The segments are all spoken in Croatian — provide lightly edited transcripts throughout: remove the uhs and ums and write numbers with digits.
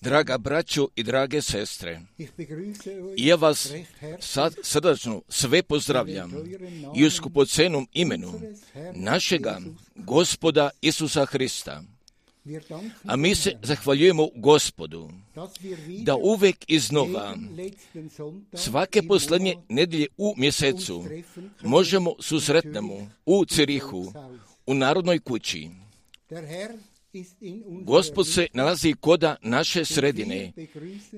Draga braćo i drage sestre, ja vas sad srdačno sve pozdravljam i u skupocenom imenu našega Gospoda Isusa Hrista. A mi se zahvaljujemo Gospodu da uvek iznova, svake posljednje nedjelje u mjesecu, možemo susretnemo u Cirihu, u Narodnoj kući. Gospod se nalazi koda naše sredine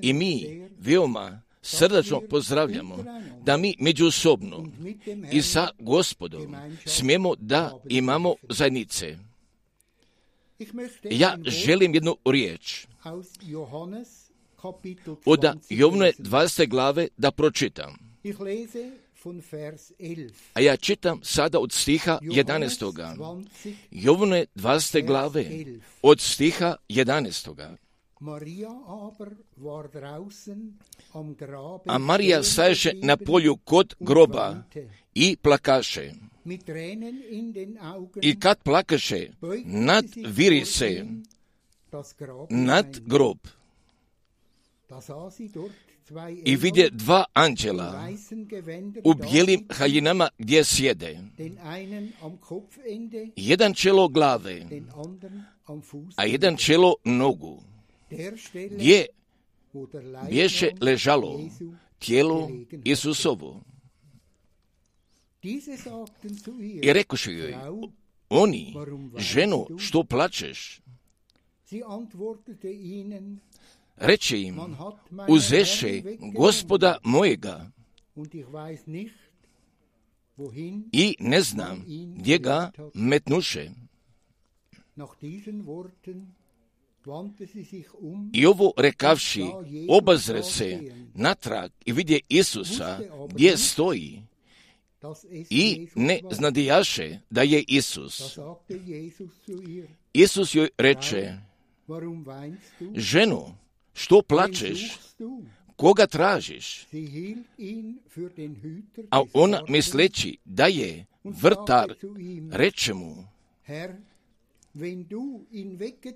i mi veoma srdačno pozdravljamo da mi međusobno i sa Gospodom smijemo da imamo zajednice. Ja želim jednu riječ od Jovnove 20. glave da pročitam. A ja čitam sada od stiha 11. Jovnove 20. glave od stiha 11. A Marija staješe na polju kod groba i plakaše. I kad plakaše, nadviri se nad grob. I vidje dva anđela u bijelim haljinama gdje sjede. Jedan čelo glave, a jedan čelo nogu. Gdje bješe ležalo tijelo Isusovo. I rekoše joj oni, ženo, što plačeš? Reče im, uzeše Gospoda mojega i ne znam gdje ga metnuše. I ovo rekavši, obazre se natrag i vidje Isusa gdje stoji i ne znadijaše da je Isus. Isus joj reče, ženo, što plačeš? Koga tražiš? A ona misleći da je vrtar, reče mu,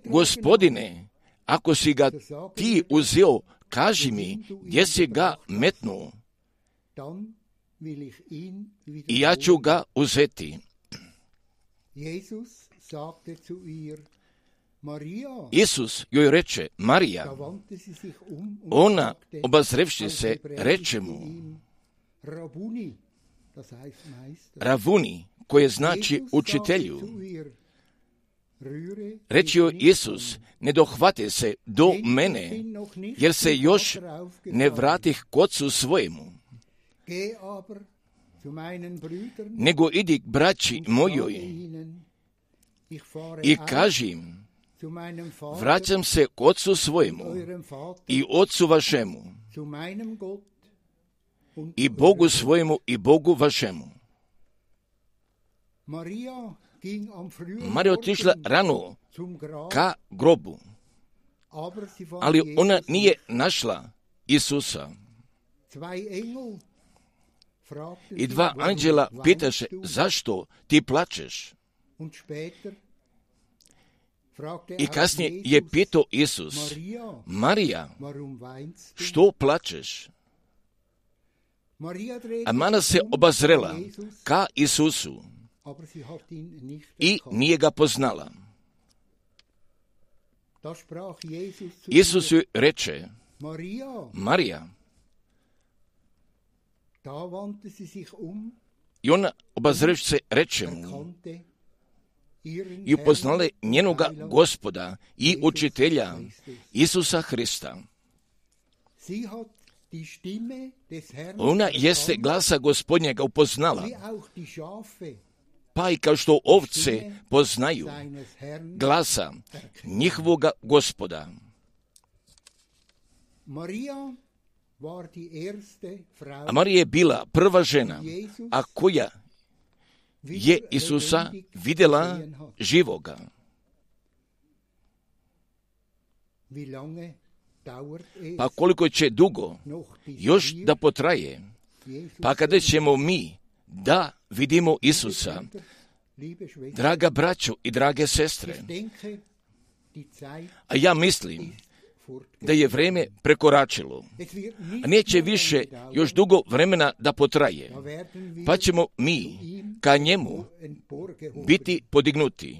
Gospodine, ako si ga ti uzeo, kaži mi gdje si ga metnuo i ja ću ga uzeti. Isus joj reče, Marija. Ona, obazrevši se, reče mu, Ravuni, koje znači učitelju. Reče joj Isus, ne dohvate se do mene, jer se još ne vratih k ocu svojemu. Nego idi k braći mojoj i kaži im, vraćam se k ocu svojemu i ocu vašemu i Bogu svojemu i Bogu vašemu. Marija otišla rano ka grobu, ali ona nije našla Isusa. I dva anđela pitaše, zašto ti plačeš? I kasnije je pitao Isus, Marija, što plačeš? A Marija se obazrela ka Isusu i nije ga poznala. Isus joj reče, Marija. I ona, obazrevši se, reče mu i upoznala njenoga Gospoda i učitelja Isusa Hrista. Ona jeste glasa Gospodnjega upoznala, pa i kao što ovce poznaju glasa njihovoga Gospoda. A Marija je bila prva žena, a koja je Isusa vidjela živoga. Pa koliko će dugo još da potraje, pa kada ćemo mi da vidimo Isusa, draga braćo i drage sestre, a ja mislim da je vreme prekoračilo, a neće više još dugo vremena da potraje, pa ćemo mi ka njemu biti podignuti.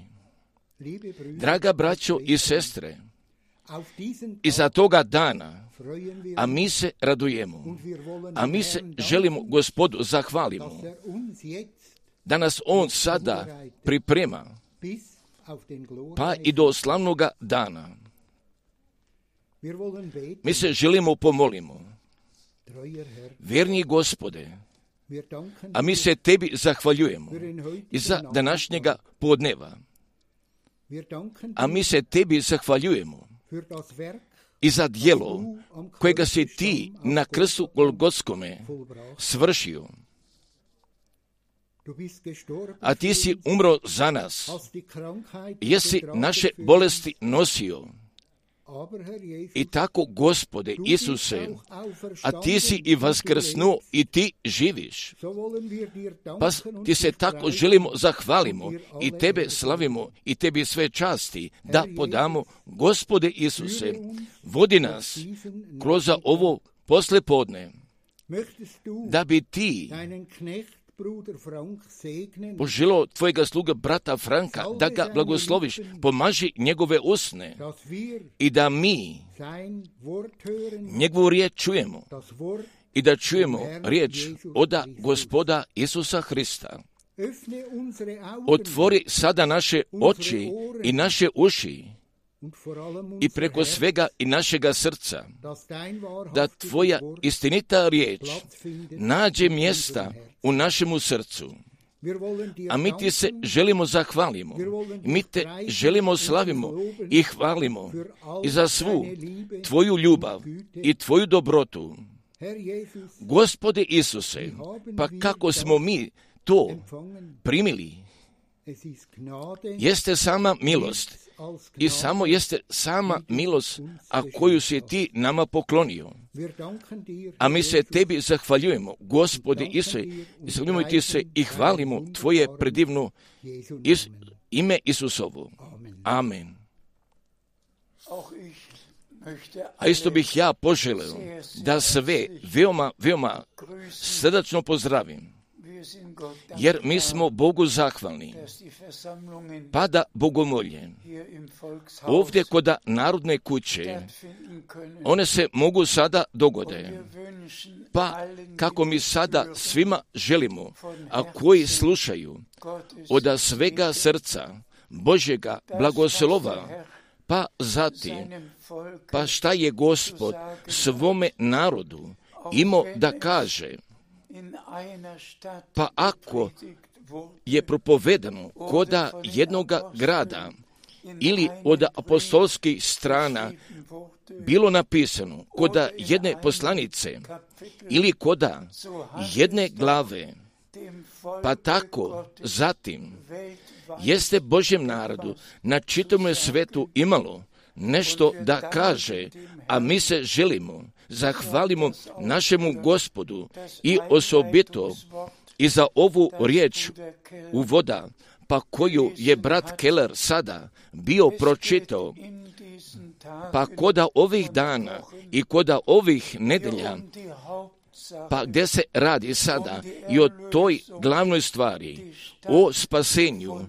Draga braćo i sestre, iza toga dana, a mi se radujemo, a mi se želimo Gospodu zahvalimo, da nas On sada priprema, pa i do slavnoga dana. Mi se želimo pomolimo. Vjerni Gospode, a mi se Tebi zahvaljujemo i za današnjega podneva, a mi se Tebi zahvaljujemo i za djelo kojega si Ti na krstu Golgotskome svršio. A Ti si umro za nas, jesi naše bolesti nosio. I tako, Gospode Isuse, a Ti si i vaskrsnuo i Ti živiš. Pa Ti se tako želimo zahvalimo i Tebe slavimo i Tebi sve časti da podamo. Gospode Isuse, vodi nas kroz ovo poslepodne, da bi Ti poželio Tvojega sluga brata Franka da ga blagosloviš, pomaži njegove usne i da mi njegovu riječ čujemo i da čujemo riječ oda Gospoda Isusa Hrista. Otvori sada naše oči i naše uši i preko svega i našega srca, da Tvoja istinita riječ nađe mjesta u našemu srcu. A mi Ti se želimo zahvalimo, mi Te želimo slavimo i hvalimo i za svu Tvoju ljubav i Tvoju dobrotu. Gospode Isuse, pa kako smo mi to primili? Jeste sama milost i samo jeste sama milost, a koju si Ti nama poklonio. A mi se Tebi zahvaljujemo, Gospode Isuse, zahvaljujemo Ti se i hvalimo Tvoje predivno ime Isusovo. Amen. A isto bih ja poželeo da sve veoma srdačno pozdravim, jer mi smo Bogu zahvalni, pa da bogomolje ovdje kod Narodne kuće, one se mogu sada dogode, pa kako mi sada svima želimo, a koji slušaju od svega srca Božjega blagoslova, pa zatim, pa šta je Gospod svome narodu imao da kaže, pa ako je propovedano koda jednoga grada ili od apostolskih strana bilo napisano koda jedne poslanice ili koda jedne glave, pa tako zatim jeste Božjem narodu na čitavom svetu imalo nešto da kaže, a mi se želimo zahvalimo našemu Gospodu i osobito i za ovu riječ uvoda, pa koju je brat Keller sada bio pročitao, pa koda ovih dana i koda ovih nedelja, pa gdje se radi sada i o toj glavnoj stvari, o spasenju,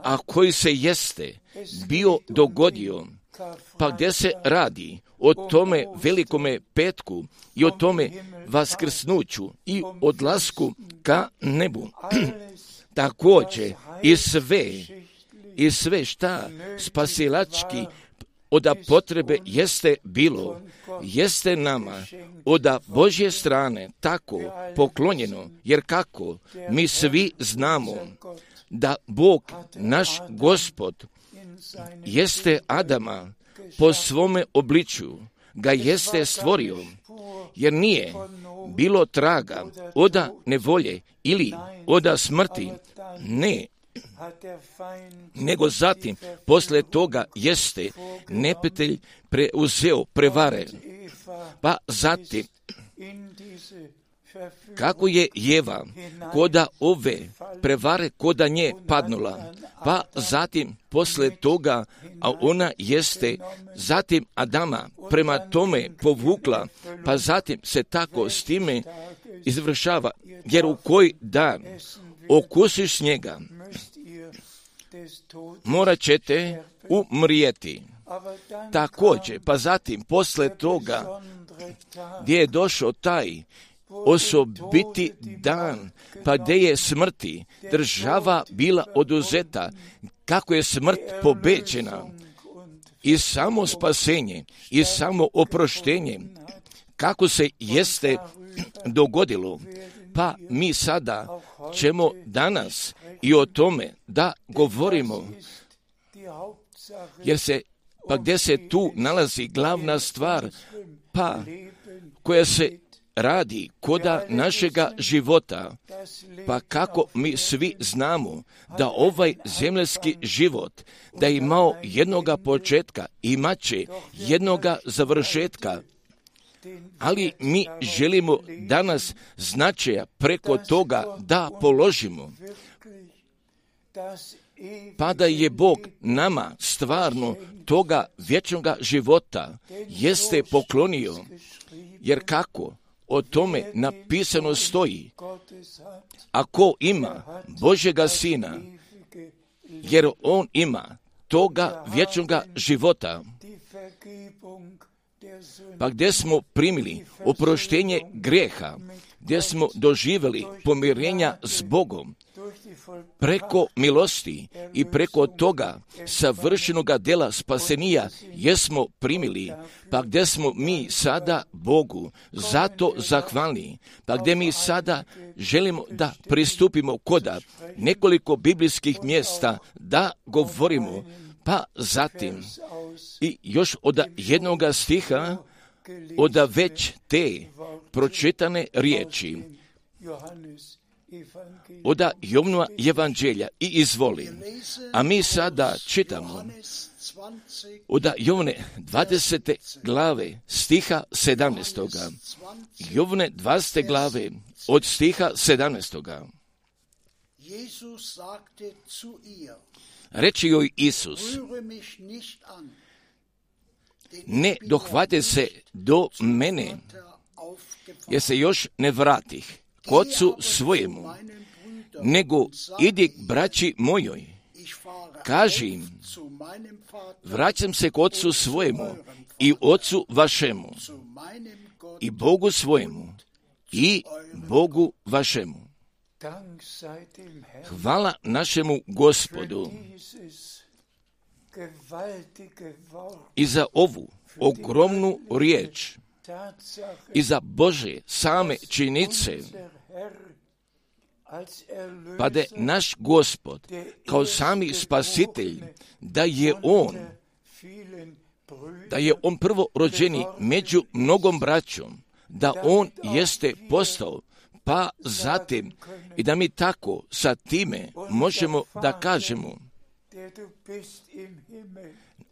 a koji se jeste bio dogodio, pa gdje se radi o tome velikome petku i o tome vaskrsnuću i odlasku ka nebu. Također i sve šta spasilački od potrebe jeste nama od Božje strane tako poklonjeno, jer kako mi svi znamo da Bog, naš Gospod, jeste Adama po svome obličju, ga jeste stvorio, jer nije bilo traga od nevolje ili od smrti, ne, nego zatim, posle toga jeste neprijatelj preuzeo prevare, pa zatim, kako je Jeva koda ove prevare koda nje padnula, pa zatim posle toga, a ona jeste zatim Adama prema tome povukla, pa zatim se tako s time izvršava, jer u koji dan okusiš njega, morat ćete umrijeti. Također, pa zatim posle toga, gdje je došao taj osobiti dan, pa gdje je smrti država bila oduzeta, kako je smrt pobeđena, i samo spasenje, i samo oproštenje, kako se jeste dogodilo. Pa mi sada ćemo danas i o tome da govorimo, jer se, pa gdje se tu nalazi glavna stvar, pa koja se radi koda našega života, pa kako mi svi znamo da ovaj zemljski život, da je imao jednoga početka, imat će jednoga završetka, ali mi želimo danas značaja preko toga da položimo, pa da je Bog nama stvarno toga vječnoga života jeste poklonio, jer kako o tome napisano stoji, ako ima Božjega Sina, jer on ima toga vječnoga života, pa gdje smo primili oproštenje grijeha, gdje smo doživjeli pomirenja s Bogom, preko milosti i preko toga savršenoga dela spasenija jesmo primili, pa gdje smo mi sada Bogu zato zahvalni, pa gdje mi sada želimo da pristupimo koda nekoliko biblijskih mjesta da govorimo, pa zatim i još od jednoga stiha od već te pročitane riječi od Jovnova evanđelja i izvolim. A mi sada čitamo od Jovne 20. glave stiha 17. Jovne 20. glave od stiha 17. Reči joj Isus, ne dohvate se do mene, jer se još ne vratih k ocu svojemu, nego idi k braći mojoj, kaži im, vraćam se k ocu svojemu i ocu vašemu, i Bogu svojemu, i Bogu vašemu. Hvala našemu Gospodu i za ovu ogromnu riječ i za Bože same činjenice, pa da je naš Gospod kao sami spasitelj, da je on prvorođeni među mnogom braćom, da on jeste postao, pa zatim i da mi tako sa time možemo da kažemo,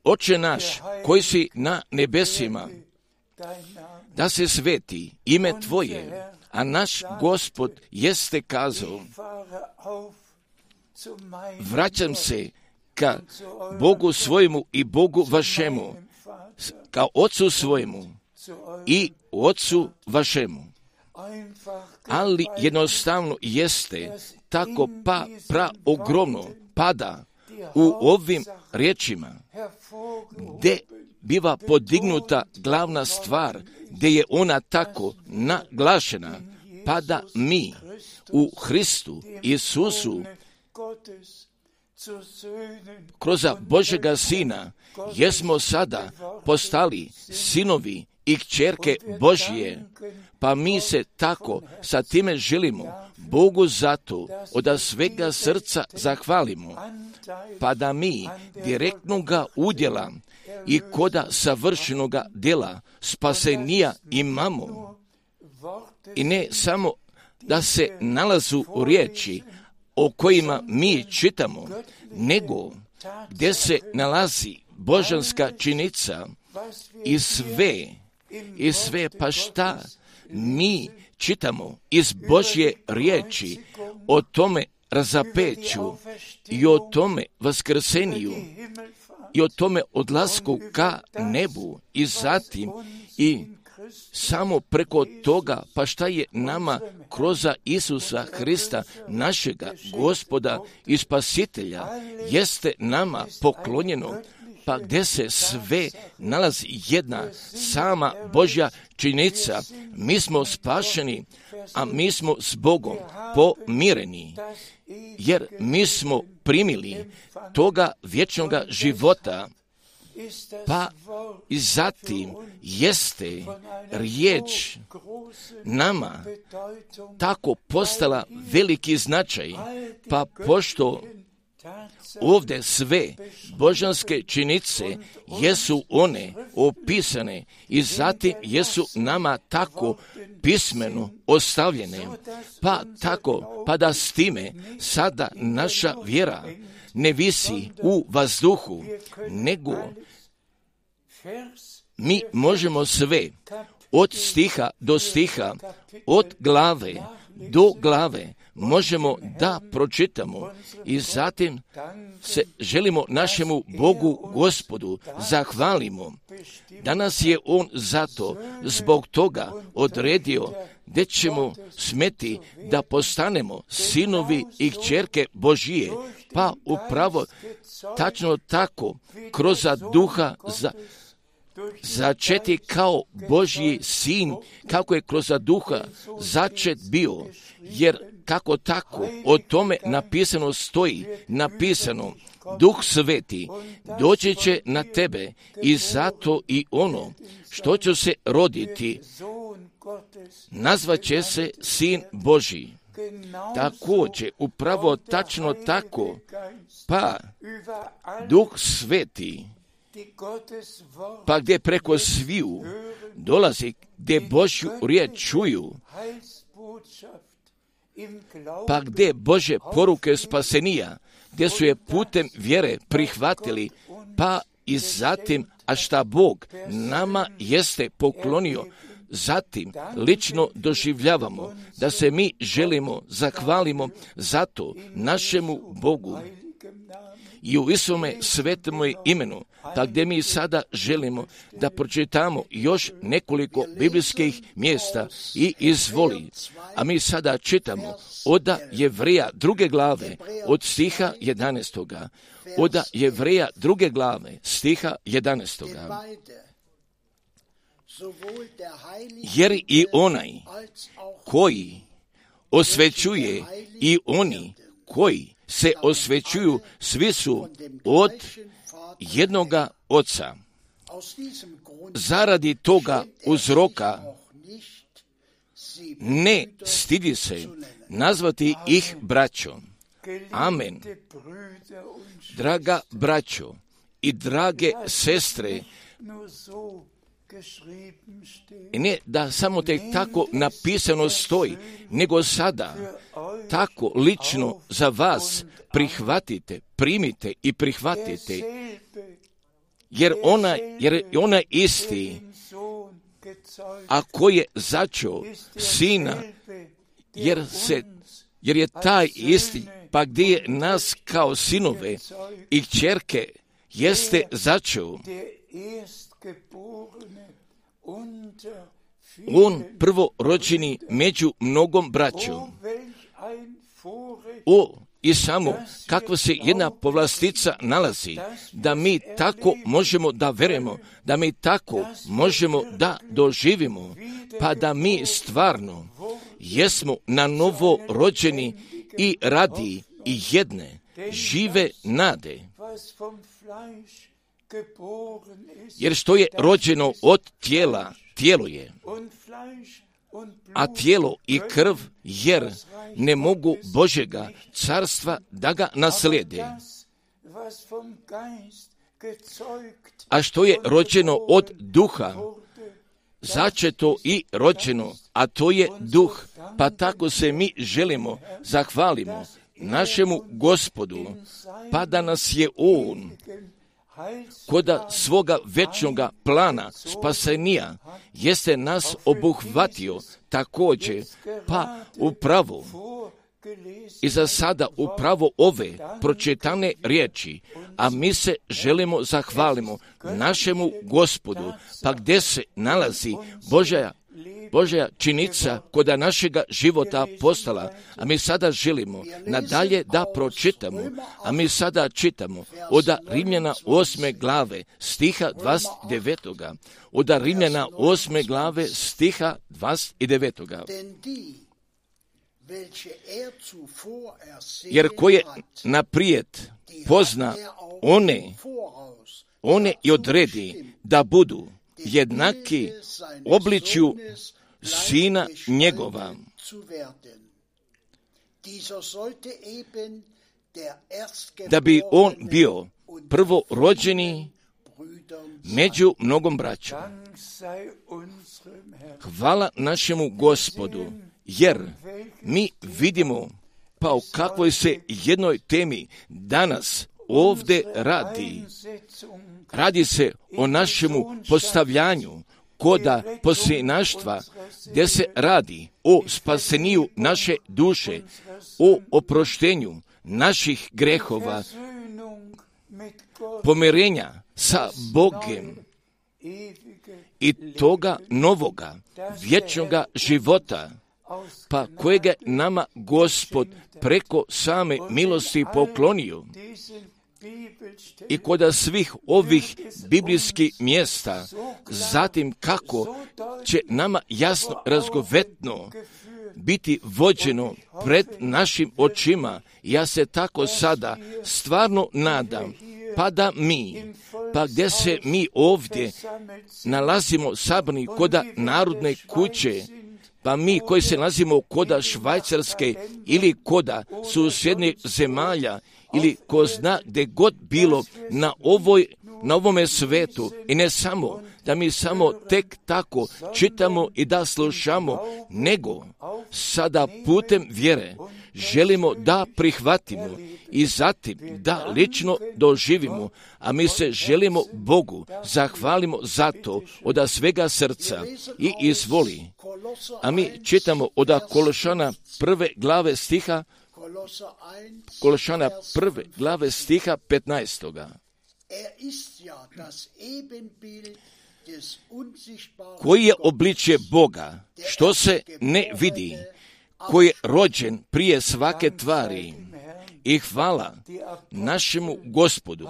Oče naš koji si na nebesima, da se sveti ime Tvoje, a naš Gospod jeste kazao, vraćam se ka Bogu svojemu i Bogu vašemu, ka Ocu svojemu i Ocu vašemu. Ali jednostavno jeste tako ogromno pada u ovim riječima, gdje biva podignuta glavna stvar, gdje je ona tako naglašena, pa da mi u Hristu Isusu kroz Božega Sina, jesmo sada postali sinovi i kćerke Božije, pa mi se tako sa time želimo Bogu zato od svega srca zahvalimo, pa da mi direktnoga udjela i koda savršenoga djela spasenija imamo. I ne samo da se nalazu u riječi o kojima mi čitamo, nego gdje se nalazi božanska činjenica i sve pa šta mi čitamo iz Božje riječi o tome razapeću i o tome vaskrseniju i o tome odlasku ka nebu i zatim i samo preko toga pa šta je nama kroz Isusa Hrista, našega Gospoda i Spasitelja, jeste nama poklonjeno, pa gdje se sve nalazi jedna sama Božja činjenica. Mi smo spašeni, a mi smo s Bogom pomireni, jer mi smo primili toga vječnoga života, pa i zatim jeste riječ nama tako postala veliki značaj, pa pošto ovdje sve božanske činjenice jesu one opisane i zatim jesu nama tako pismeno ostavljene, pa tako, pa da s time sada naša vjera ne visi u vazduhu, nego mi možemo sve od stiha do stiha, od glave do glave možemo da pročitamo i zatim se želimo našemu Bogu Gospodu zahvalimo. Danas je On zato zbog toga odredio gdje ćemo smeti da postanemo sinovi i kćerke Božije, pa upravo tačno tako kroz duha začeti kao Božji sin, kako je kroz duha začet bio, jer kako tako o tome napisano stoji, napisano, Duh Sveti doći će na tebe i zato i ono što će se roditi nazvaće se Sin Božji. Također, upravo tačno tako, pa Duh Sveti, pa gdje preko sviju dolazi, gdje Božju riječ čuju, pa gdje Bože poruke spasenija, gdje su je putem vjere prihvatili, pa i zatim, a šta Bog nama jeste poklonio, zatim lično doživljavamo da se mi želimo, zahvalimo zato našemu Bogu i u Isome svetome imenu, pa gdje mi sada želimo da pročitamo još nekoliko biblijskih mjesta i izvoli. A mi sada čitamo od Jevreja 2. glave od stiha 11. Od Jevreja 2. glave stiha 11. Jer i onaj koji osvećuje i oni koji se osvećuju, svi su od jednoga Oca. Zaradi toga uzroka ne stidi se nazvati ih braćom. Amen. Draga braćo i drage sestre, i ne da samo tek tako napisano stoji, nego sada tako lično za vas primite i prihvatite, jer ona isti, a ko je začeo Sina, jer je taj isti, pa gdje je nas kao sinove i kćerke jeste začeo. On prvorođeni među mnogom braćom. I samo kakva se jedna povlastica nalazi, da mi tako možemo da verujemo, da mi tako možemo da doživimo, pa da mi stvarno jesmo na novo rođeni i radi i jedne žive nade. Jer što je rođeno od tijela, tijelo je, a tijelo i krv, jer ne mogu Božjega carstva da ga naslijede. A što je rođeno od duha, začeto i rođeno, a to je duh, pa tako se mi želimo, zahvalimo našemu Gospodu, pa da nas je On koda svoga večnoga plana spasenija jeste nas obuhvatio također, pa upravo i za sada upravo ove pročitane riječi, a mi se želimo zahvalimo našemu Gospodu, pa gdje se nalazi Božja činica koda našega života postala, a mi sada želimo nadalje da pročitamo, a mi sada čitamo od Rimljana 8. glave stiha 29. Od Rimljana 8. glave stiha 29. Jer koje naprijed pozna one i odredi da budu jednaki obličju Sina njegova. Da bi on bio prvorođeni među mnogom braćom. Hvala našemu Gospodu, jer mi vidimo pa o kakvoj se jednoj temi danas ovdje radi. Radi se o našemu postavljanju koda posljednaštva, gdje se radi o spaseniju naše duše, o oproštenju naših grehova, pomirenja sa Bogom i toga novoga, vječnoga života, pa kojega nama Gospod preko same milosti poklonio. I koda svih ovih biblijskih mjesta, zatim kako će nama jasno razgovetno biti vođeno pred našim očima, ja se tako sada stvarno nadam, pa gdje se mi ovdje nalazimo sabrani koda Narodne kuće, pa mi koji se nalazimo koda Švajcarske ili koda susjednih zemalja, ili ko zna gdje god bilo na ovome svetu, i ne samo da mi samo tek tako čitamo i da slušamo, nego sada putem vjere želimo da prihvatimo i zatim da lično doživimo, a mi se želimo Bogu zahvalimo za to od svega srca i izvoli. A mi čitamo od Kološana 1. glave stiha Kološana 1. glave stiha 15. Koji je obličje Boga, što se ne vidi, koji je rođen prije svake tvari, i hvala našemu Gospodu,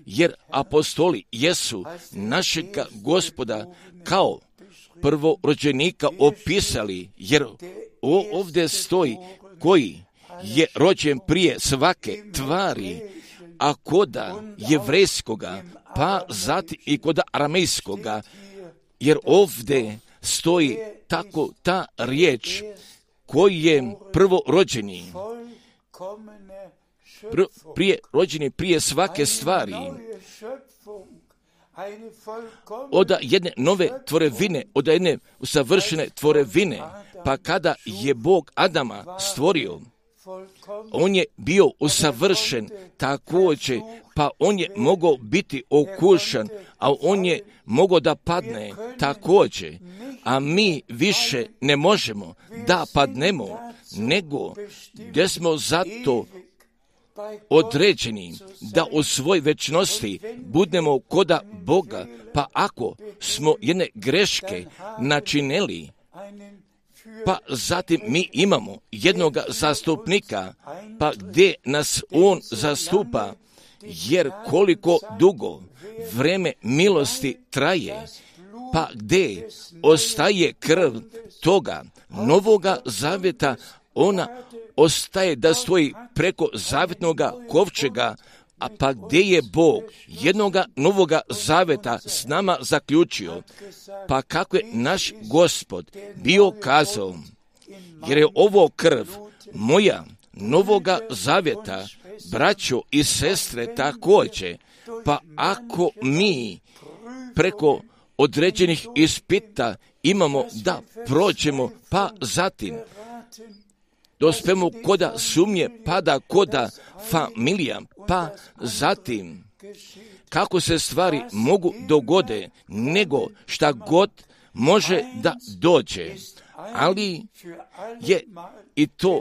jer apostoli jesu našega Gospoda kao prvorođenika opisali, jer ovdje stoji koji je rođen prije svake tvari, a koda jevrejskoga, pa zatim i koda aramejskoga, jer ovdje stoji tako ta riječ koji je prvorođeni, prije svake stvari, od jedne nove tvorevine, od jedne usavršene tvorevine, pa kada je Bog Adama stvorio, on je bio usavršen također, pa on je mogao biti okušan, a on je mogao da padne također, a mi više ne možemo da padnemo, nego gdje smo zato određeni da u svoj večnosti budemo koda Boga, pa ako smo jedne greške načinili, pa zatim mi imamo jednoga zastupnika, pa gdje nas on zastupa, jer koliko dugo vreme milosti traje, pa gdje ostaje krv toga novoga zavjeta, ona ostaje da stoji preko zavjetnoga kovčega, a pa gdje je Bog jednoga novoga zaveta s nama zaključio, pa kako je naš Gospod bio kazao, jer je ovo krv moja novoga zavjeta, braćo i sestre također, pa ako mi preko određenih ispita imamo da prođemo, pa zatim dospemo koda sumnje, pa da koda familija, pa zatim kako se stvari mogu dogode, nego šta god može da dođe. Ali je i to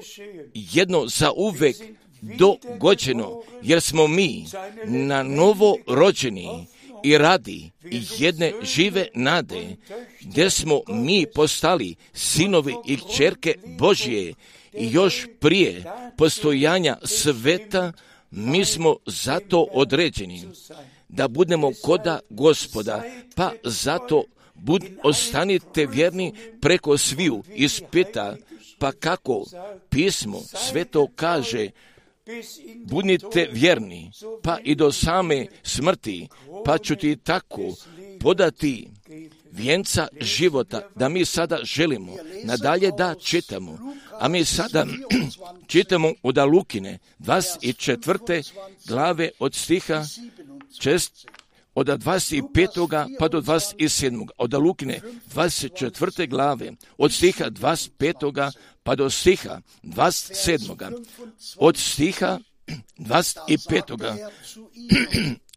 jedno za uvek dogođeno, jer smo mi na novo rođeni i radi jedne žive nade, gdje smo mi postali sinovi i kćerke Božje i još prije postojanja sveta mi smo zato određeni da budemo koda Gospoda, pa zato ostanite vjerni preko sviju ispita, pa kako pismo sveto kaže, budite vjerni, pa i do same smrti, pa ću ti tako podati vijenca života, da mi sada želimo nadalje da čitamo. A mi sada čitamo od Lukine 24. glave od stiha od 25. pa do 27. Od Lukine 24. glave od stiha 25. pa do stiha 27. Od stiha 25.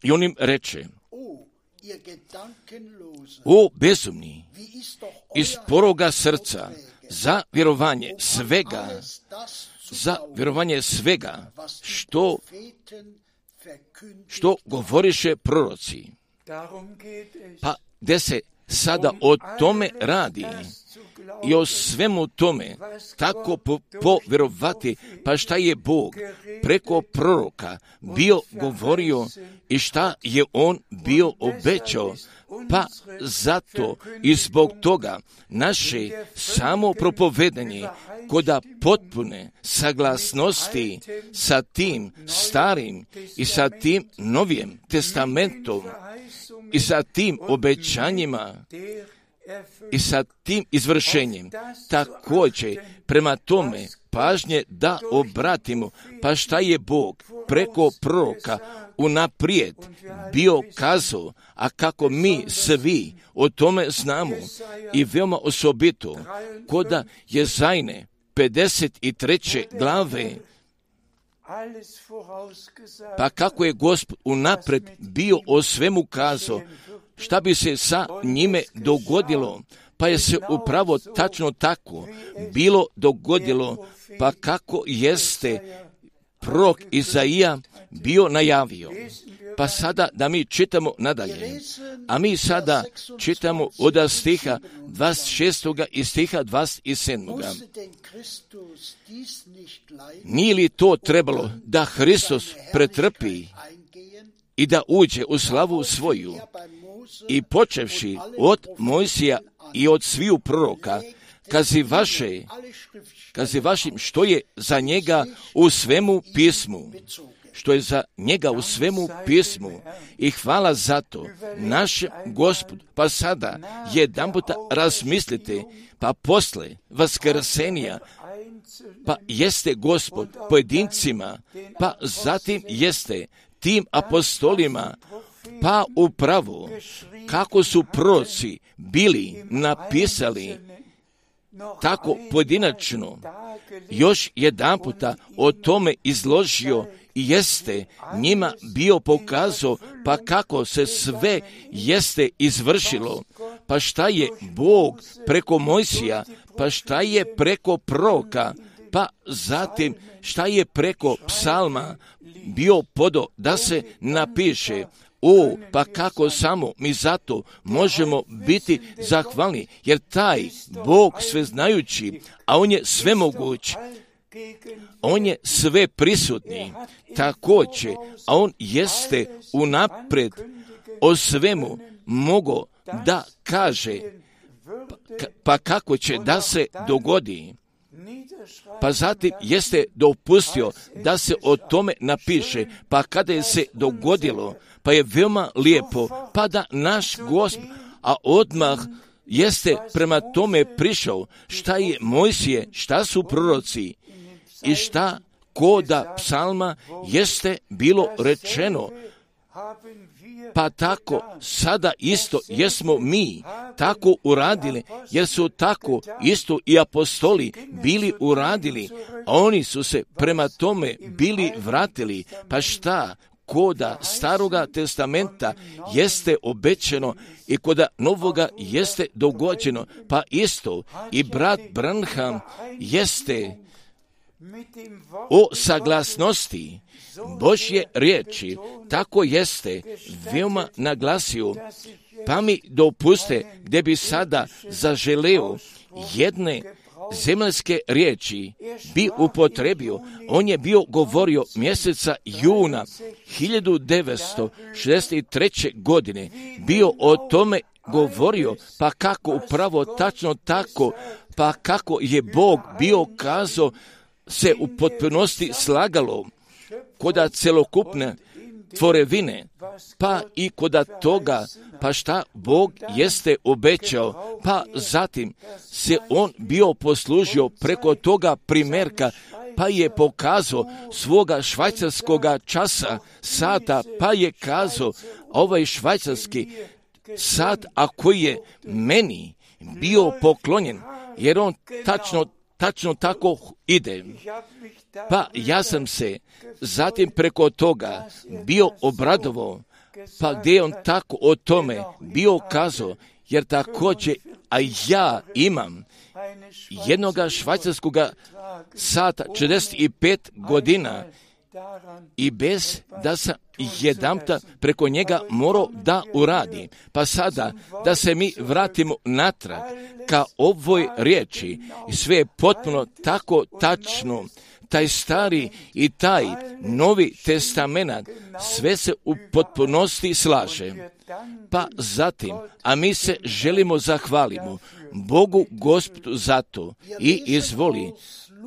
I on im reče, o bezumni, iz poroga srca, za vjerovanje svega, što govoriše proroci. Pa gdje se sada o tome radi i o svemu tome tako povjerovati, pa šta je Bog preko proroka bio govorio i šta je on bio obećao, pa zato i zbog toga naše samo propovedanje koda potpune saglasnosti sa tim starim i sa tim novim testamentom i sa tim obećanjima i sa tim izvršenjem. Također prema tome pažnje da obratimo, pa šta je Bog preko proroka unaprijed bio kazao, a kako mi svi o tome znamo i veoma osobito koda Jezajne 53. glave, pa kako je Gospod unaprijed bio o svemu kazao, šta bi se sa njime dogodilo, pa je se upravo tačno tako bilo dogodilo, pa kako jeste prorok Izaija bio najavio. Pa sada da mi čitamo nadalje, a mi sada čitamo od stiha 26. i stiha 27. Nije li to trebalo da Hristos pretrpi i da uđe u slavu svoju, i počevši od Mojsija i od sviju proroka, kazi vašim što je za njega u svemu pismu, i hvala za to naš Gospod. Pa sada jedanputa razmislite, pa posle vaskrsenja, pa jeste Gospod pojedincima, pa zatim jeste tim apostolima, pa upravo kako su proroci bili napisali tako pojedinačno, još jedanputa o tome izložio i jeste njima bio pokazao, pa kako se sve jeste izvršilo, pa šta je Bog preko Mojsija, pa šta je preko proroka, pa zatim šta je preko psalma bio podo da se napiše. Pa kako samo mi zato možemo biti zahvalni, jer taj Bog sveznajući, a On je svemoguć, On je sve prisutni, također, a On jeste unaprijed o svemu mogo da kaže, pa kako će da se dogodi. Pa zatim jeste dopustio da se o tome napiše, pa kada je se dogodilo, pa je veoma lijepo, pa da naš Gospod, a odmah jeste prema tome prišao, šta je Mojsije, šta su proroci i šta koda psalma jeste bilo rečeno. Pa tako sada isto jesmo mi tako uradili, jer su tako isto i apostoli bili uradili, a oni su se prema tome bili vratili. Pa šta koda Staroga testamenta jeste obećano i koda Novoga jeste dogođeno, pa isto i brat Branham jeste o saglasnosti Božje riječi, tako jeste veoma naglasio. Pa mi dopuste gdje bi sada zaželeo jedne zemaljske riječi bi upotrebio. On je bio govorio mjeseca juna 1963. godine, bio o tome govorio, pa kako upravo tačno tako, pa kako je Bog bio kazao se u potpunosti slagalo koda celokupne tvorevine, pa i koda toga, pa šta Bog jeste obećao, pa zatim se on bio poslužio preko toga primjerka, pa je pokazao svoga švajcarskoga časa, sata, pa je kazao ovaj švajcarski sat, a koji je meni bio poklonjen, jer on tačno tako ide. Pa ja sam se zatim preko toga bio obradovao, pa gdje je on tako o tome bio kazao, jer također, a ja imam jednoga švajcarskoga sata 45 godina i bez da sam jedanputa preko njega morao da uradi. Pa sada da se mi vratimo natrag ka ovoj riječi i sve je potpuno tako tačno. Taj stari i taj novi testament sve se u potpunosti slaže. Pa zatim, a mi se želimo zahvalimo Bogu Gospodu za to i izvoli.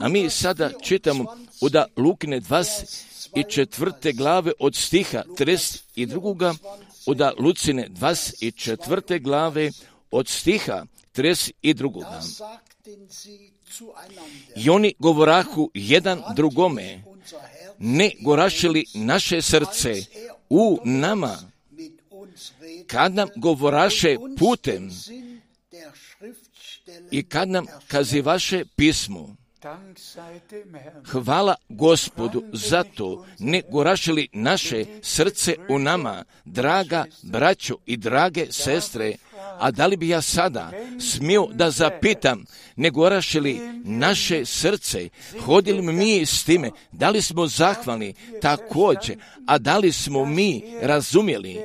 A mi sada čitamo od Lukine 24. glave od stiha 32. od Lucine 24. glave od stiha 32. I oni govorahu jedan drugome, ne goraše li naše srce u nama, kad nam govoraše putem i kad nam kazivaše pismo. Hvala Gospodu za to, ne goraše li naše srce u nama, draga braćo i drage sestre. A da li bi ja sada smio da zapitam, ne goraše li naše srce, hodili mi s time, da li smo zahvalni također, a da li smo mi razumjeli?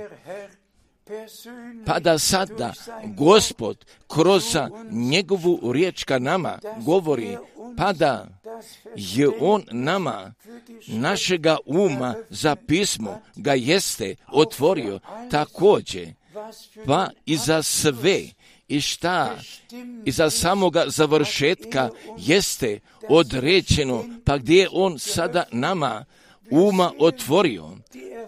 Pa da sada Gospod kroz njegovu riječ ka nama govori, pa da je on nama, našega uma za pismo ga jeste otvorio također, pa i za sve i šta i za samoga završetka jeste određeno, pa gdje je on sada nama uma otvorio,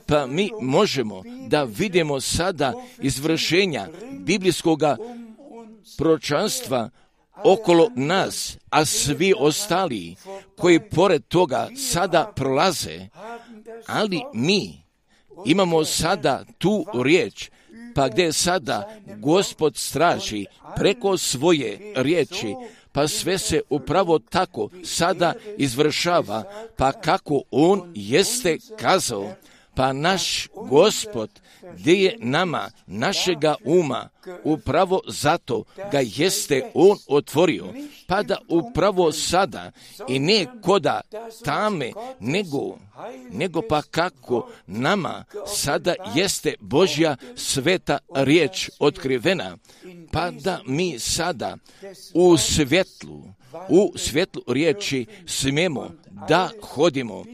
pa mi možemo da vidimo sada izvršenja biblijskoga proročanstva okolo nas, a svi ostali koji pored toga sada prolaze, ali mi imamo sada tu riječ, pa gdje sada Gospod straži preko svoje riječi, pa sve se upravo tako sada izvršava, pa kako on jeste kazao, pa naš Gospod gdje je nama, našega uma, upravo zato ga jeste on otvorio, pa da upravo sada i ne koda tame, nego pa kako nama sada jeste Božja sveta riječ otkrivena, pa da mi sada u svjetlu riječi smijemo da hodimo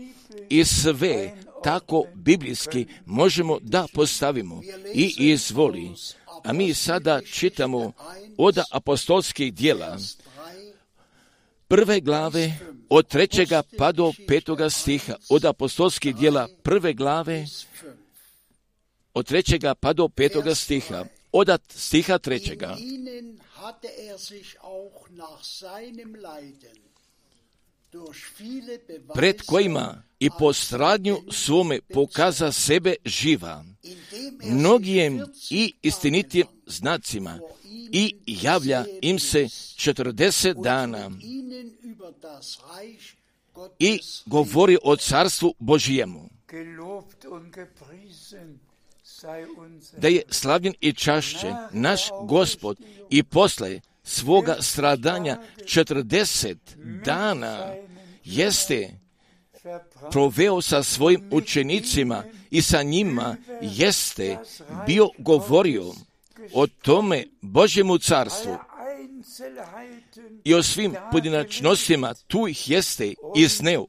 i sve tako biblijski možemo da postavimo i izvoli. A mi sada čitamo od apostolskih djela 1. glave od 3. pa do 5. stiha, od apostolskih djela 1. glave od 3. pa do 5. stiha, od stiha 3. Pred kojima i po stradnju svome pokaza sebe živa, mnogijem i istinitijem znacima, i javlja im se 40 dana i govori o carstvu Božijemu. Da je slavljen i čašćen naš Gospod i posle svoga stradanja 40 dana jeste proveo sa svojim učenicima i sa njima jeste bio govorio o tome Božjemu carstvu i o svim pojedinačnostima tu ih jeste izneo.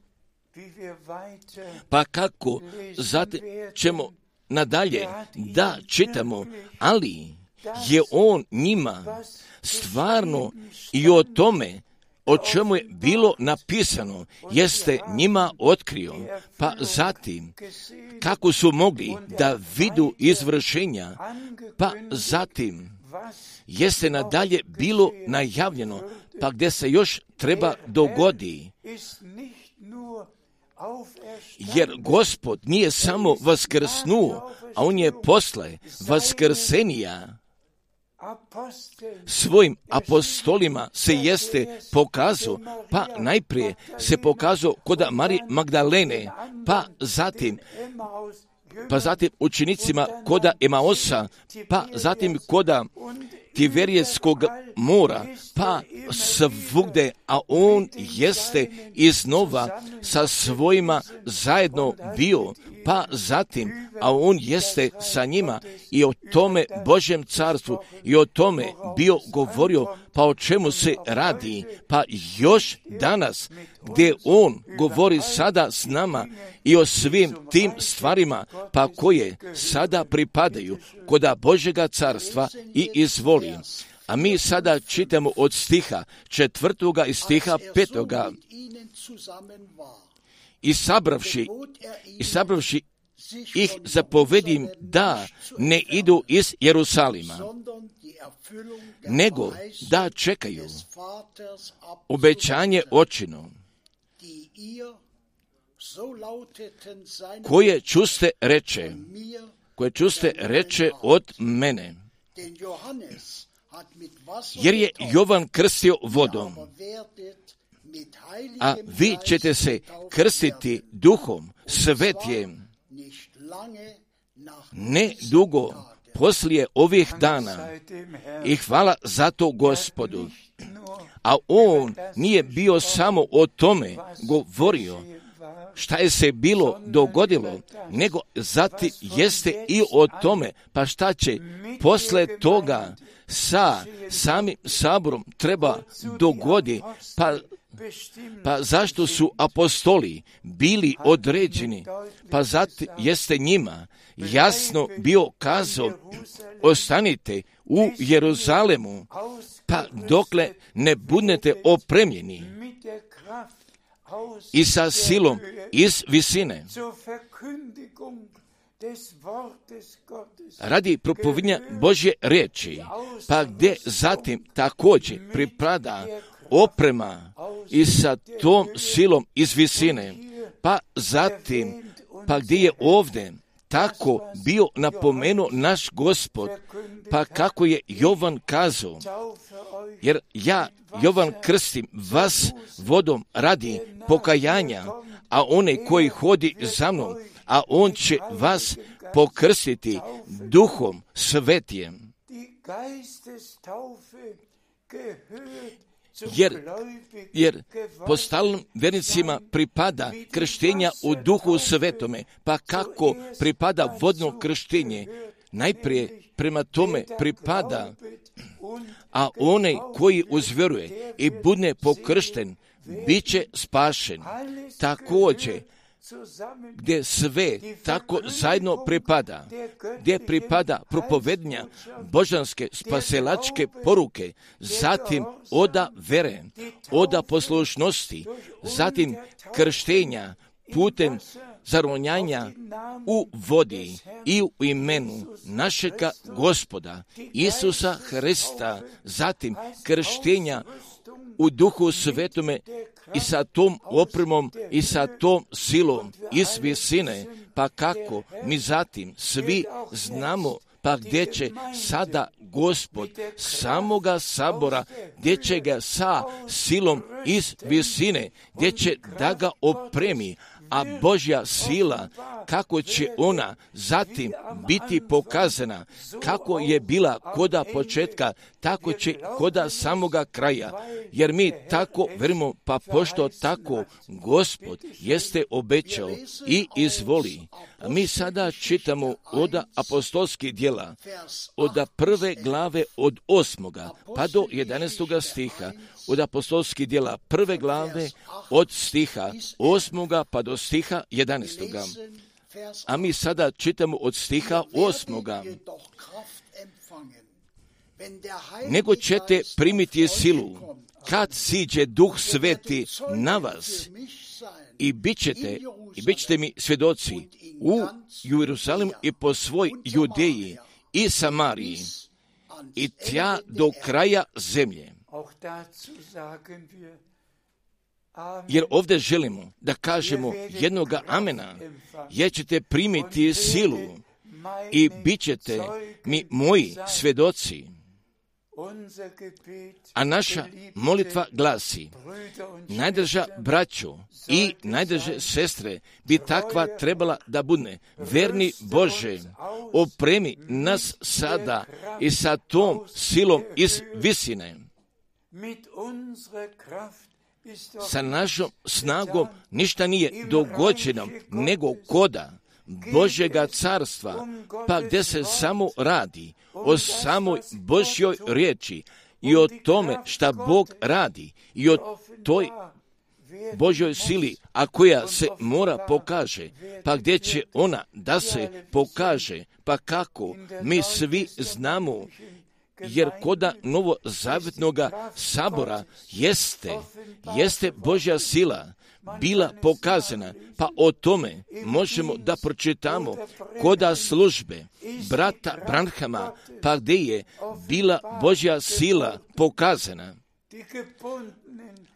Pa kako zatim ćemo nadalje da čitamo, ali je on njima stvarno i o tome o čemu je bilo napisano, jeste njima otkrio, pa zatim kako su mogli da vidu izvršenja, pa zatim jeste nadalje bilo najavljeno, pa gdje se još treba dogodi. Jer Gospod nije samo vaskrsnuo, a on je posle vaskrsenija svojim apostolima se jeste pokazao, pa najprije se pokazao kod Marije Magdalene, pa zatim učenicima koda Emaosa, pa zatim koda Tiverijetskog mora, pa svugde, a on jeste iznova sa svojima zajedno bio, pa zatim, a on jeste sa njima i o tome Božjem carstvu i o tome bio govorio, pa o čemu se radi, pa još danas gdje on govori sada s nama i o svim tim stvarima, pa koje sada pripadaju koda Božjega carstva i izvoli. A mi sada čitamo od stiha 4. i stiha 5. I sabravši ih zapovedim da ne idu iz Jerusalima, nego da čekaju obećanje očino, koje čuste reče od mene. Jer je Jovan krstio vodom, a vi ćete se krstiti Duhom Svetijem ne dugo poslije ovih dana. I hvala za to Gospodu. A on nije bio samo o tome govorio šta je se bilo dogodilo, nego zatim jeste i o tome, pa šta će posle toga sa samim saborom treba dogodi, pa zašto su apostoli bili određeni, pa zatim jeste njima jasno bio kazao, ostanite u Jeruzalemu, pa dokle ne budete opremljeni i sa silom iz visine, radi propovijedanja Božje riječi, pa gdje zatim također pripada oprema i sa tom silom iz visine, pa zatim, pa gdje je ovdje tako bio napomenuo naš Gospod, pa kako je Jovan kazao, jer ja, Jovan, krstim vas vodom radi pokajanja, a onaj koji hodi za mnom, a on će vas pokrstiti Duhom Svetijem. Jer postalnim vjernicima pripada krštenja u Duhu Svetome, pa kako pripada vodno krštenje, najprije prema tome pripada, a onaj koji uzvjeruje i bude pokršten, bit će spašen. Također, gdje sve tako zajedno pripada, gdje pripada propovednja božanske spasilačke poruke, zatim oda vere, oda poslušnosti, zatim krštenja putem zaronjanja u vodi i u imenu našega Gospoda Isusa Hrista, zatim krštenja u Duhu Svetome i sa tom opremom i sa tom silom iz visine, pa kako mi zatim svi znamo, pa gdje će sada Gospod samoga sabora, gdje će ga sa silom iz visine, gdje će da ga opremi, a Božja sila, kako će ona zatim biti pokazana, kako je bila koda početka, tako će koda samoga kraja, jer mi tako verimo, pa pošto tako Gospod jeste obećao i izvoli. A mi sada čitamo od apostolskih djela, od 1. glave od 8. pa do 11. stiha, od apostolskih djela 1. glave od stiha 8. pa do stiha 11. A mi sada čitamo od stiha 8. Nego ćete primiti silu, kad siđe Duh Sveti na vas, i bit ćete mi svjedoci u Jeruzalemu i po svoj Judeji i Samariji i tja do kraja zemlje. Jer ovdje želimo da kažemo jednoga amena, jer ćete primiti silu i bit ćete mi moji svjedoci. A naša molitva glasi: najdraža braćo i najdraže sestre bi takva trebala da bude. Verni Bože, opremi nas sada i sa tom silom iz visine. Sa našom snagom ništa nije dogođeno, nego koda Božjega carstva, pa gdje se samo radi o samoj Božjoj riječi i o tome šta Bog radi i o toj Božjoj sili, a koja se mora pokaže, pa gdje će ona da se pokaže, pa kako mi svi znamo, jer koda novozavjetnoga sabora jeste Božja sila bila pokazana, pa o tome možemo da pročitamo koda službe brata Branhama, pa gdje je bila Božja sila pokazana.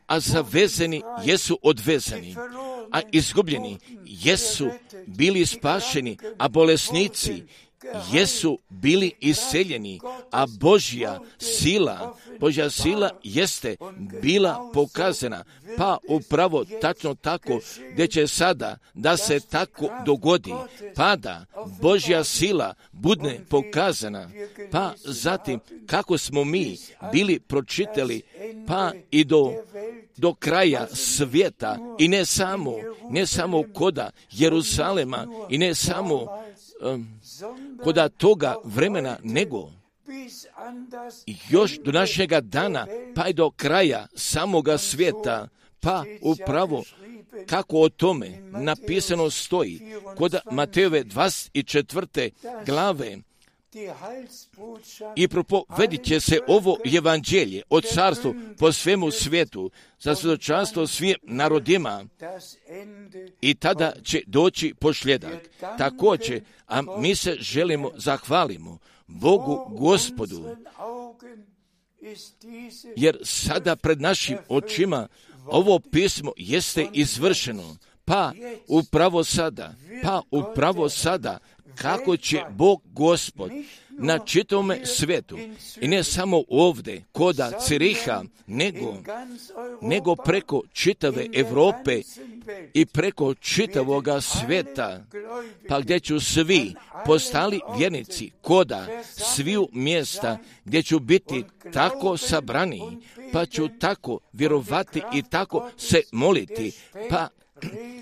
A zavezani jesu odvezani, a izgubljeni jesu bili spašeni, a bolesnici jesu bili iseljeni, a Božja sila jeste bila pokazana, pa upravo tačno tako gdje će sada da se tako dogodi, pa da Božja sila bude pokazana, pa zatim kako smo mi bili pročitali, pa i do kraja svijeta, i ne samo koda Jeruzalema, i ne samo koda toga vremena, nego još do našega dana, pa i do kraja samoga svijeta, pa upravo kako o tome napisano stoji kod Matejove 24. glave. I propovedit će se ovo evanđelje o carstvu po svemu svijetu za svjedočanstvo svim narodima, i tada će doći pošljedak. Također, a mi se želimo zahvalimo Bogu Gospodu, jer sada pred našim očima ovo pismo jeste izvršeno, pa upravo sada kako će Bog Gospod na čitavome svijetu, i ne samo ovdje koda Ciriha, nego preko čitave Europe i preko čitavoga svijeta, pa gdje ću svi postali vjernici koda sviju mjesta, gdje ću biti tako sabrani, pa ću tako vjerovati i tako se moliti, pa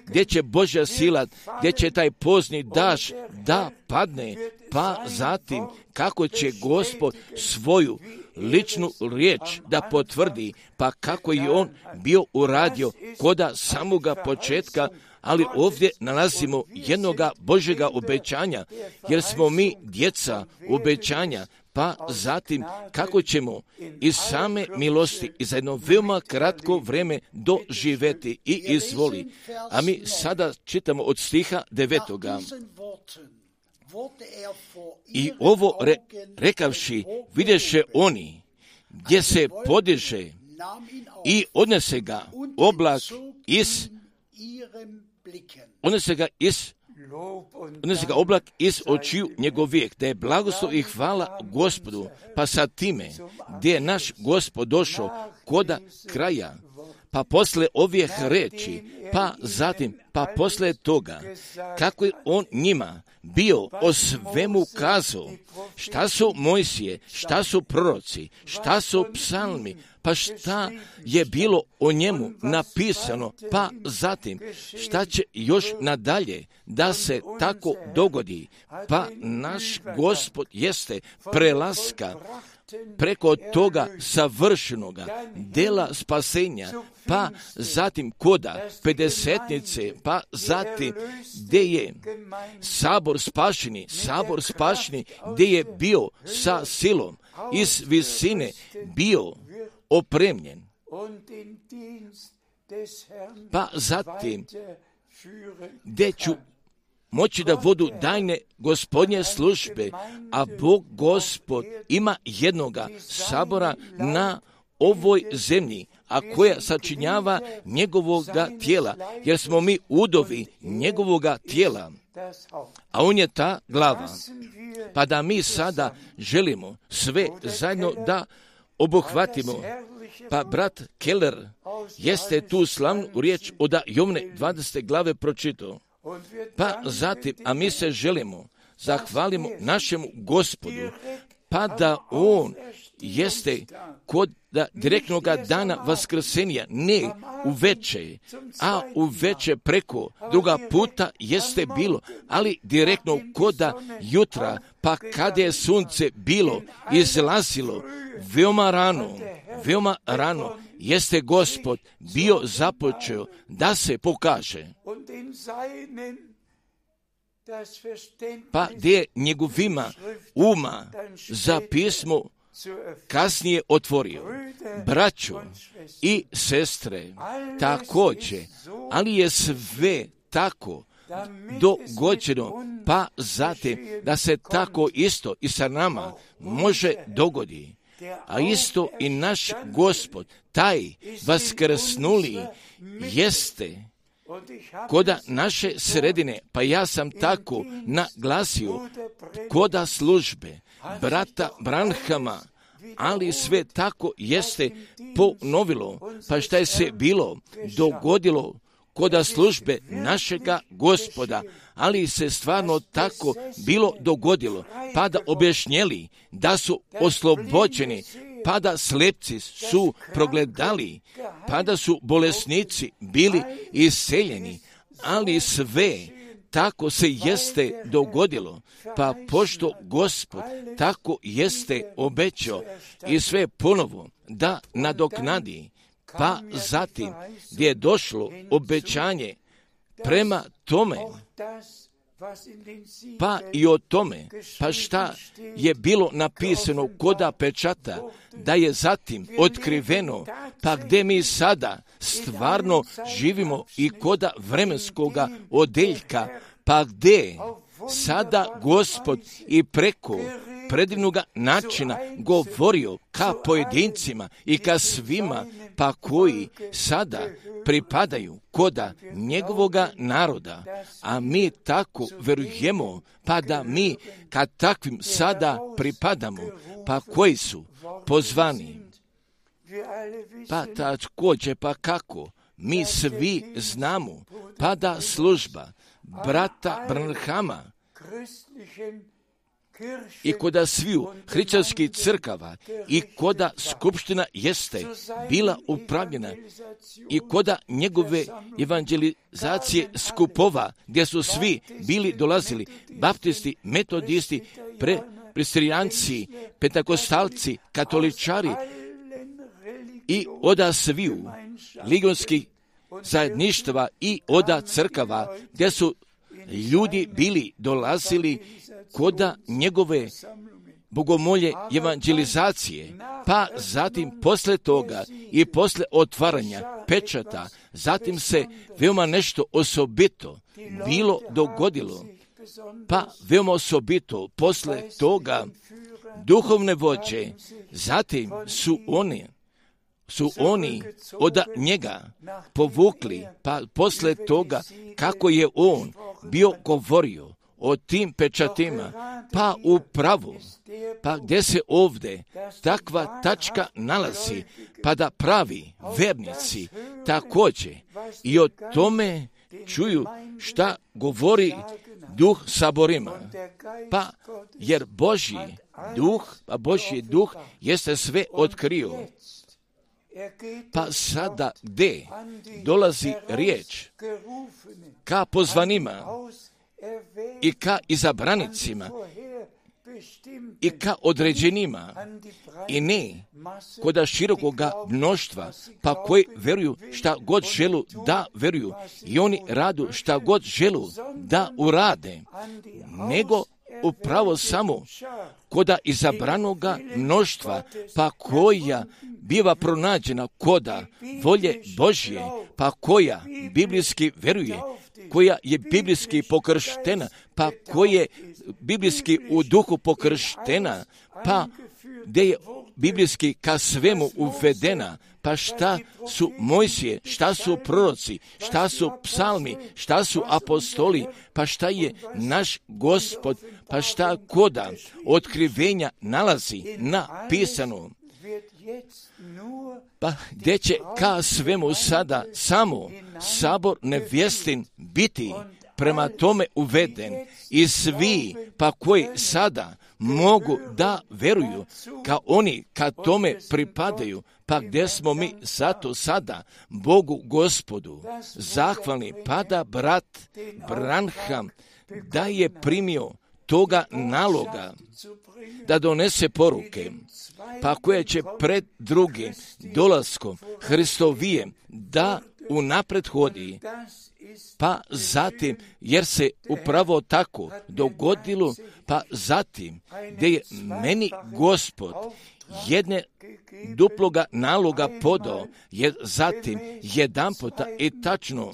gdje će Božja sila, gdje će taj pozni daš da padne, pa zatim kako će Gospod svoju ličnu riječ da potvrdi, pa kako je on bio uradio koda samoga početka, ali ovdje nalazimo jednoga Božjega obećanja, jer smo mi djeca obećanja, pa zatim kako ćemo iz same milosti i za jedno veoma kratko vrijeme doživjeti i izvoli. A mi sada čitamo od stiha 9. I ovo rekavši, vidješe oni, gdje se podiže i odnese ga oblak oblak iz očiju njegovijeg, da je blagoslov i hvala Gospodu, pa sa time, gdje je naš Gospod došao koda kraja, pa posle ovih reči, pa zatim, pa posle toga, kako je on njima bio o svemu kazao, šta su Mojsije, šta su proroci, šta su psalmi, pa šta je bilo o njemu napisano, pa zatim šta će još nadalje da se tako dogodi, pa naš Gospod jeste prelaska preko toga savršenoga dela spasenja, pa zatim koda pedesetnice, pa zatim gdje je sabor spašeni, gdje je bio sa silom iz visine bio opremljen, pa zatim gdje ću moći da vodu dajne Gospodnje službe, a Bog Gospod ima jednoga sabora na ovoj zemlji, a koja sačinjava njegovoga tijela, jer smo mi udovi njegovoga tijela, a on je ta glava. Pa da mi sada želimo sve zajedno da obuhvatimo, pa brat Keller jeste tu slavnu riječ od Jovne 20. glave pročitao. Pa zatim, a mi se želimo, zahvalimo našemu Gospodu, pa da on jeste kod direktnog dana vaskrsenja, ne uveče, a uveče preko druga puta jeste bilo, ali direktno kod jutra, pa kada je sunce bilo izlazilo veoma rano, jeste Gospod bio započeo da se pokaže. Pa gdje je njegovima uma za pismo kasnije otvorio. Braćo i sestre, također, ali je sve tako dogođeno, pa zatim da se tako isto i sa nama može dogoditi. A isto i naš Gospod, taj vaskrsnuli, jeste koda naše sredine, pa ja sam tako naglasio, koda službe brata Branhama, ali sve tako jeste ponovilo, pa šta je se bilo dogodilo koda službe našega Gospoda, ali se stvarno tako bilo dogodilo, pa da objašnjeli da su oslobođeni, pa da slepci su progledali, pa da su bolesnici bili isceljeni, ali sve tako se jeste dogodilo, pa pošto Gospod tako jeste obećao i sve ponovo da nadoknadi, pa zatim gdje je došlo obećanje prema tome, pa i o tome, pa šta je bilo napisano koda pečata, da je zatim otkriveno, pa gdje mi sada stvarno živimo i koda vremenskoga odeljka, pa gdje sada Gospod i preko predivnoga načina govorio ka pojedincima i ka svima, pa koji sada pripadaju koda njegovoga naroda, a mi tako verujemo, pa da mi ka takvim sada pripadamo, pa koji su pozvani. Pa također, pa kako, mi svi znamo, pa da služba brata Branhama i koda sviju hrišćanskih crkava i koda skupština jeste bila upravljena i koda njegove evangelizacije skupova gdje su svi bili dolazili, baptisti, metodisti, presbiterijanci, pentakostalci, katoličari i oda sviju ligionskih zajedništva i oda crkava, gdje su ljudi bili dolazili koda njegove bogomolje evangelizacije, pa zatim posle toga i posle otvaranja pečata, zatim se veoma nešto osobito bilo dogodilo, pa veoma osobito posle toga duhovne vođe, zatim su oni od njega povukli, pa posle toga kako je on bio govorio o tim pečatima, pa upravo, pa gdje se ovdje takva tačka nalazi, pa da pravi vernici također i o tome čuju šta govori duh saborima, pa jer Božji duh jeste sve otkrio. Pa sada gdje dolazi riječ ka pozvanima i ka izabranicima i ka određenima i ne koda širokoga mnoštva, pa koji veruju šta god želu da veruju i oni radu šta god želu da urade, nego upravo samo koda izabranoga mnoštva, pa koja biva pronađena koda volje Božje, pa koja biblijski veruje, koja je biblijski pokrštena, pa koja je biblijski u duhu pokrštena, pa gdje je biblijski ka svemu uvedena, pa šta su Mojsije, šta su proroci, šta su psalmi, šta su apostoli, pa šta je naš Gospod, pa šta koda otkrivenja nalazi napisano. Pa gdje će ka svemu sada samo sabor nevjestin biti prema tome uveden i svi pa koji sada mogu da veruju ka oni ka tome pripadaju, pa gdje smo mi zato sada Bogu Gospodu zahvalni, pa da brat Branham da je primio toga naloga da donese poruke, pa koje će pred drugim dolaskom Hristovijem da unapred hodi, pa zatim, jer se upravo tako dogodilo, pa zatim, gdje je meni Gospod jedne duploga naloga podao, je zatim jedan puta i tačno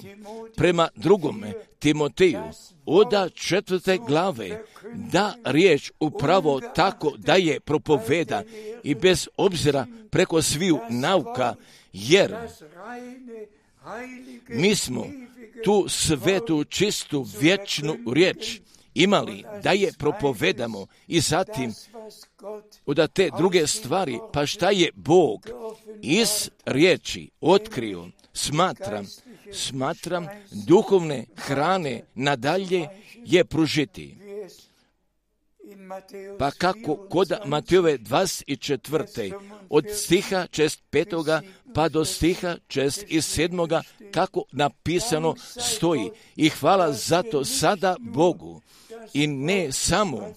prema drugome Timoteju od 4. glave da riječ upravo tako da je propoveda i bez obzira preko sviju nauka, jer mi smo tu svetu, čistu, vječnu riječ imali da je propovedamo i zatim od te druge stvari, pa šta je Bog iz riječi otkrio, smatram duhovne hrane nadalje je pružiti. Pa kako kod Matejove 24. od stiha 5. pa do stiha 7. kako napisano stoji. I hvala zato sada Bogu. I ne samo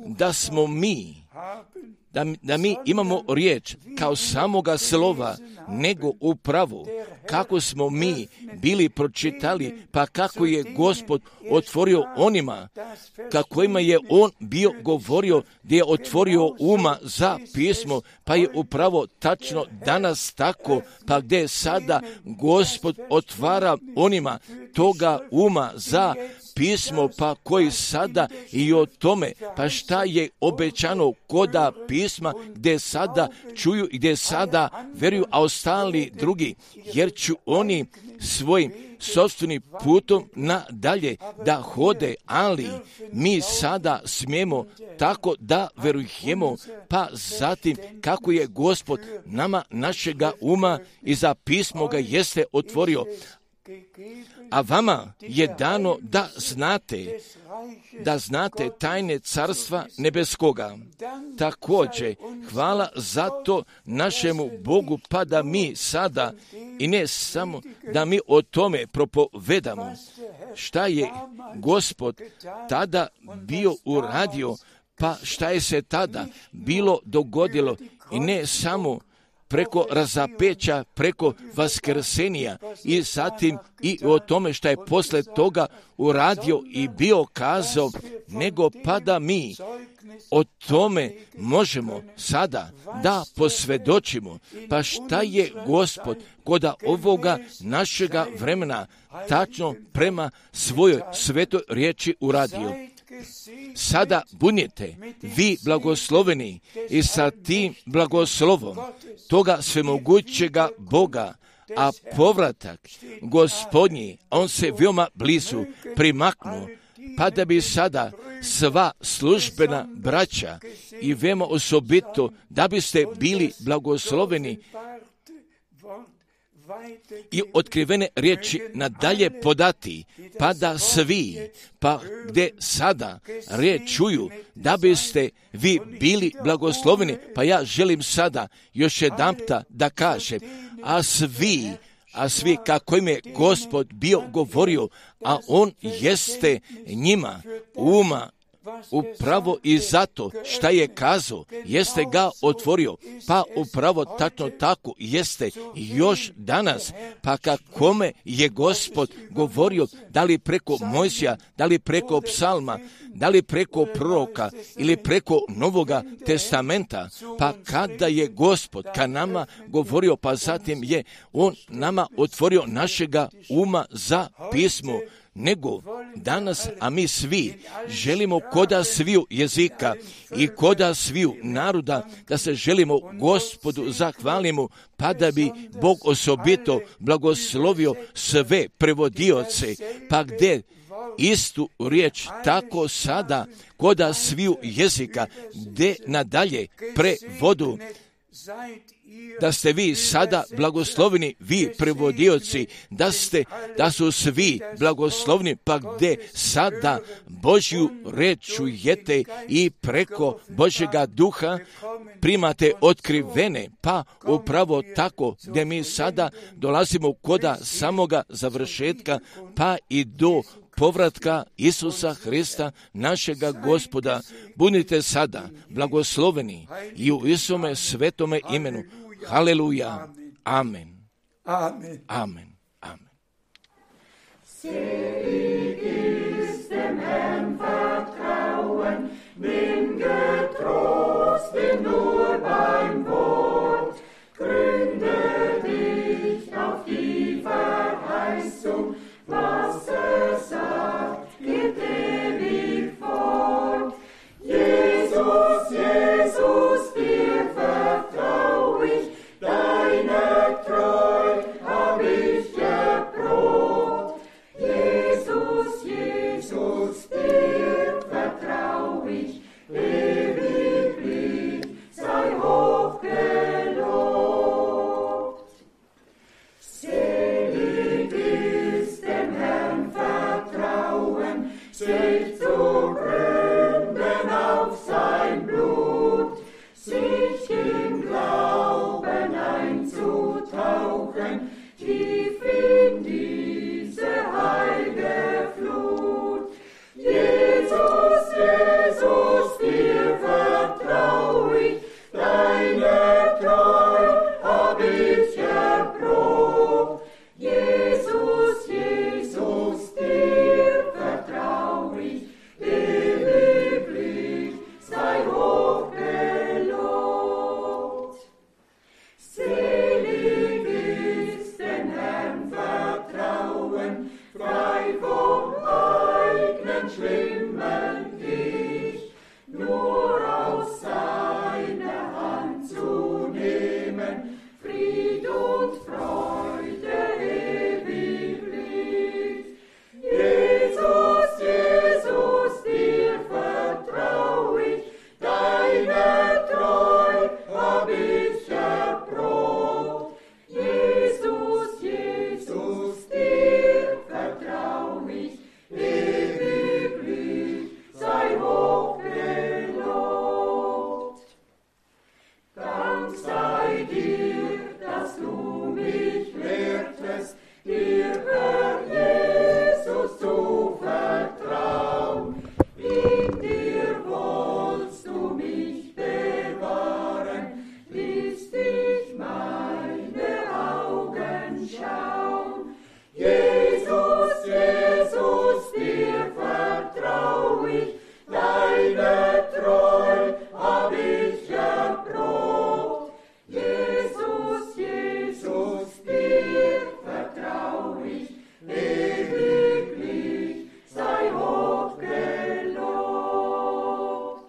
da smo mi, da mi imamo riječ kao samoga slova, nego upravo kako smo mi bili pročitali, pa kako je Gospod otvorio onima, kako ima je On bio govorio, gdje je otvorio uma za pismo, pa je upravo tačno danas tako, pa gdje sada Gospod otvara onima toga uma za pismo, pa koji sada i o tome, pa šta je obećano koda pisma, gdje sada čuju i gdje sada veruju, a ostali drugi, jer ću oni svojim sopstvenim putom nadalje da hode, ali mi sada smijemo tako da verujemo, pa zatim kako je Gospod nama našega uma i za pismo ga jeste otvorio. A vama je dano da znate tajne carstva nebeskoga. Također, hvala za to našemu Bogu, pa da mi sada, i ne samo da mi o tome propovedamo, šta je Gospod tada bio uradio, pa šta je se tada bilo dogodilo, i ne samo preko razapeća, preko vaskrsenja i zatim i o tome što je posle toga uradio i bio kazao, nego pa da mi o tome možemo sada da posvjedočimo. Pa šta je Gospod koda ovoga našega vremena tačno prema svojoj svetoj riječi uradio. Sada budite vi blagosloveni i sa tim blagoslovom toga svemogućega Boga, a povratak Gospodnji, on se veoma blizu primaknu, pa da bi sada sva službena braća i veoma osobito da biste bili blagosloveni i otkrivene riječi nadalje podati, pa da svi, pa gdje sada riječ čuju, da biste vi bili blagosloveni. Pa ja želim sada još jedanputa da kažem, a svi kako im je Gospod bio govorio, a on jeste njima uma upravo i zato šta je kazao, jeste ga otvorio, pa upravo tačno tako jeste još danas, pa kakome je Gospod govorio, da li preko Mojsija, da li preko psalma, da li preko proroka ili preko Novoga testamenta, pa kada je Gospod ka nama govorio, pa zatim je on nama otvorio našega uma za pismo, nego danas, a mi svi želimo koda sviju jezika i koda sviju naroda da se želimo Gospodu zahvalimo, pa da bi Bog osobito blagoslovio sve prevodioce, pa gdje istu riječ tako sada koda sviju jezika gdje nadalje prevodu, da ste vi sada blagosloveni, vi prevodioci, da su svi blagoslovni, pa gdje sada Božju reč čujete i preko Božjega duha primate otkrivene, pa upravo tako gdje mi sada dolazimo koda samoga završetka, pa i do povratka Isusa Hrista, našega Gospoda. Budite sada blagosloveni i u Isome svetome imenu. Haleluja. Amen. Amen. Amen. Amen. Selig ist dem Herrn vertrauen, bin getrost, bin nur beim Wort. Gründe dich auf die Verheißung, was sagt, geht ewig fort. Jesus, Jesus, dir vertrau ich, deine Treu hab ich erprobt. Jesus, Jesus, dir vertrau ich, ewiglich sei hoch gelobt. Selig ist dem Herrn vertrauen, sich zu